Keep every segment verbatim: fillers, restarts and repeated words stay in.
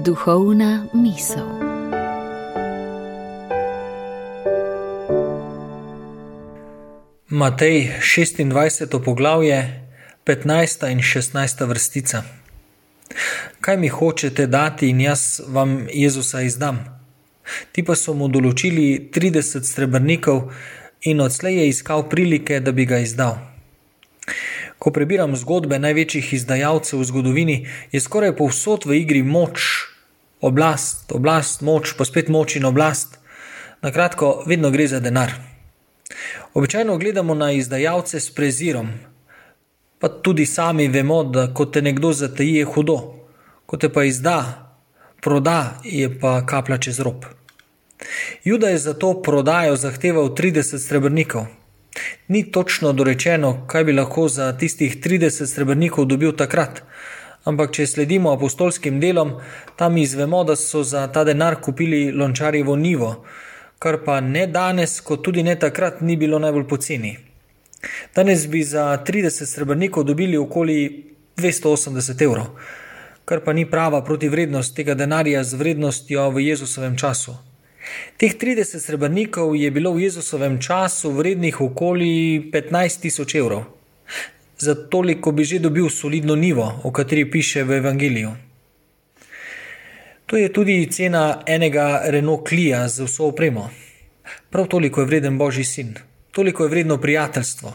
Duhovna misel. Matej šestindvajseto poglavje, petnajsta in šestnajsta vrstica. Kaj mi hočete dati in jaz vam Jezusa izdam? Ti pa so mu določili trideset srebrnikov in odslej je iskal prilike, da bi ga izdal. Ko prebiram zgodbe največjih izdajalcev v zgodovini, je skoraj povsod v igri moč, oblast, oblast, moč, pa spet moč in oblast. Na kratko, vedno gre za denar. Običajno gledamo na izdajalce s prezirom, pa tudi sami vemo, da ko te nekdo zataji, je hudo, ko te pa izda, proda, je pa kaplja čez rob. Juda je za to prodajo zahteval trideset srebrnikov. Ni točno dorečeno, kaj bi lahko za tistih trideset srebrnikov dobil takrat, ampak če sledimo apostolskim delom, tam izvemo, da so za ta denar kupili lončarjevo njivo, kar pa ne danes, kot tudi ne takrat ni bilo najbolj poceni. Danes bi za trideset srebrnikov dobili okoli dvesto osemdeset evrov, kar pa ni prava protivrednost tega denarja z vrednostjo v Jezusovem času. Teh trideset srebrnikov je bilo v Jezusovem času vrednih okoli petnajst tisoč evrov. Za toliko bi že dobil solidno njivo, o kateri piše v Evangeliju. To je tudi cena enega Renault Clio z vso opremo. Prav toliko je vreden Božji sin, toliko je vredno prijateljstvo.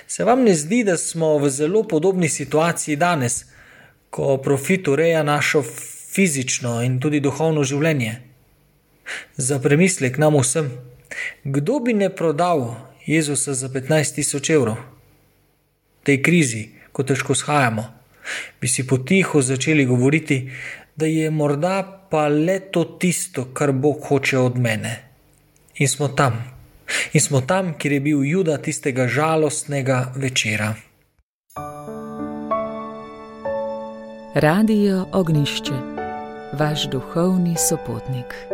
Se vam ne zdi, da smo v zelo podobni situaciji danes, ko profit ureja našo fizično in tudi duhovno življenje? Za premislek nam vsem, kdo bi ne prodal Jezusa za petnajst tisoč evrov? V tej krizi, ko težko shajamo, bi si potiho začeli govoriti, da je morda pa le to tisto, kar Bog hoče od mene. In smo tam. In smo tam, kjer je bil Juda tistega žalostnega večera. Radio Ognjišče, vaš duhovni sopotnik.